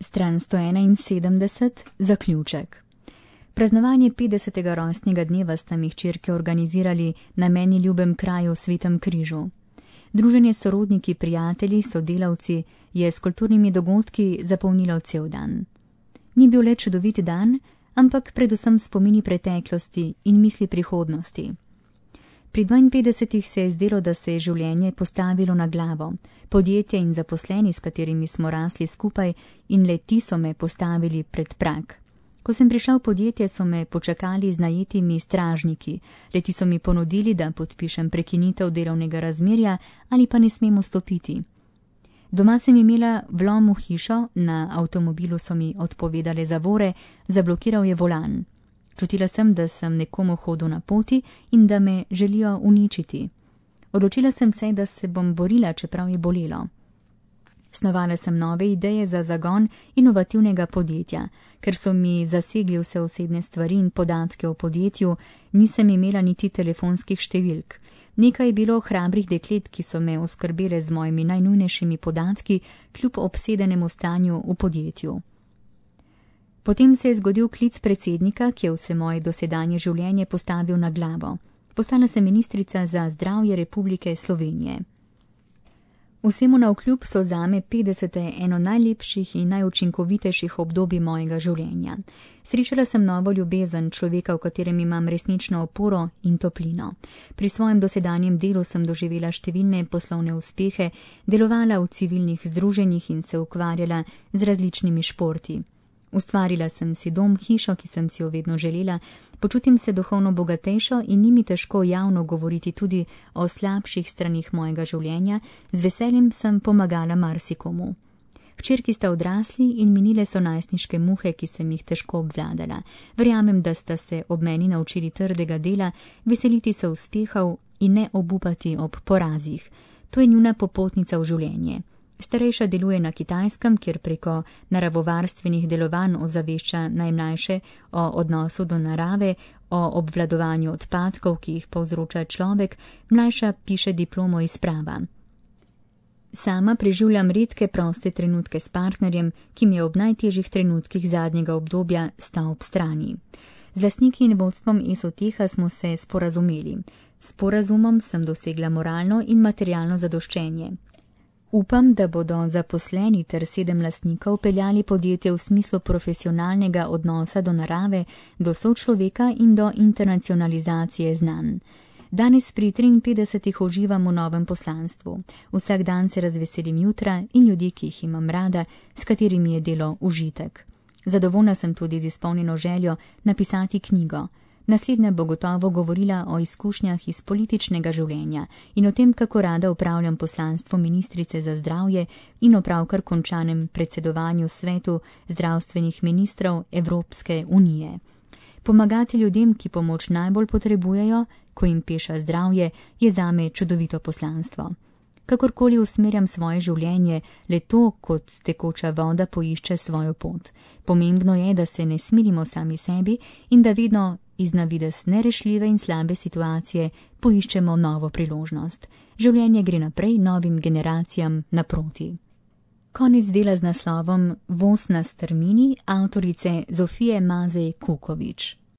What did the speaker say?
Stran 171, zaključek. Praznovanje 50. rojstnega dneva sta mi hčerke organizirali na meni ljubem kraju v Svetem Križu. Druženje s sorodniki, prijatelji, sodelavci je s kulturnimi dogodki zapolnilo cel dan. Ni bil le čudovit dan, ampak predvsem spomini preteklosti in misli prihodnosti. Pri 52 se je zdelo, da se je življenje postavilo na glavo. Podjetje in zaposleni, s katerimi smo rasli skupaj, in le ti so me postavili pred prag. Ko sem prišel v podjetje, so me počakali z najetimi stražniki. Leti so mi ponudili, da podpišem prekinitev delovnega razmerja ali pa ne smemo stopiti. Doma sem imela vlom v hišo, na avtomobilu so mi odpovedale zavore, zablokiral je volan. Čutila sem, da sem nekomu hodil na poti in da me želijo uničiti. Odločila sem se, da se bom borila, čeprav je bolelo. Snovala sem nove ideje za zagon inovativnega podjetja. Ker so mi zasegli vse osebne stvari in podatke o podjetju, nisem imela niti telefonskih številk. Nekaj je bilo hrabrih deklet, ki so me oskrbele z mojimi najnujnejšimi podatki, kljub obsedenemu stanju v podjetju. Potem se je zgodil klic predsednika, ki je vse moje dosedanje življenje postavil na glavo. Postala sem ministrica za zdravje Republike Slovenije. Vsemu navkljub so zame 50. eno najlepših in najučinkovitejših obdobij mojega življenja. Srečala sem novo ljubezen, človeka, v katerem imam resnično oporo in toplino. Pri svojem dosedanjem delu sem doživela številne poslovne uspehe, delovala v civilnih združenjih in se ukvarjala z različnimi športi. Ustvarila sem si dom, hišo, ki sem si jo vedno želela, počutim se duhovno bogatejšo in ni mi težko javno govoriti tudi o slabših stranih mojega življenja, z veseljem sem pomagala marsikomu. Hčerki sta odrasli in minile so najstniške muhe, ki sem jih težko obvladala. Verjamem, da sta se ob meni naučili trdega dela, veseliti se uspehov in ne obupati ob porazih. To je njuna popotnica v življenje. Starejša deluje na Kitajskem, kjer preko naravovarstvenih delovanj ozavešča najmlajše o odnosu do narave, o obvladovanju odpadkov, ki jih povzroča človek, mlajša piše diplomo iz prava. Sama preživljam redke proste trenutke s partnerjem, ki mi je ob najtežjih trenutkih zadnjega obdobja stal ob strani. Z lastniki in vodstvom Esoteha smo se sporazumeli. S sporazumom sem dosegla moralno in materialno zadoščenje. Upam, da bodo zaposleni ter 7 lastnikov peljali podjetje v smislu profesionalnega odnosa do narave, do sočloveka in do internacionalizacije znanj. Danes pri 53 uživam v novem poslanstvu. Vsak dan se razveselim jutra in ljudi, ki jih imam rada, s katerimi je delo užitek. Zadovoljna sem tudi z izpolnjeno željo napisati knjigo. Naslednja bo gotovo govorila o izkušnjah iz političnega življenja in o tem, kako rada upravljam poslanstvo ministrice za zdravje in o pravkar končanem predsedovanju svetu zdravstvenih ministrov Evropske unije. Pomagati ljudem, ki pomoč najbolj potrebujejo, ko jim peša zdravje, je zame čudovito poslanstvo. Kakorkoli usmerjam svoje življenje, le to, kot tekoča voda, poišče svojo pot. Pomembno je, da se ne smilimo sami sebi in da vedno iz na videz nerešljive in slabe situacije poiščemo novo priložnost. Življenje gre naprej novim generacijam naproti. Konec dela z naslovom Voz na strmini avtorice Zofije Mazej Kukovič.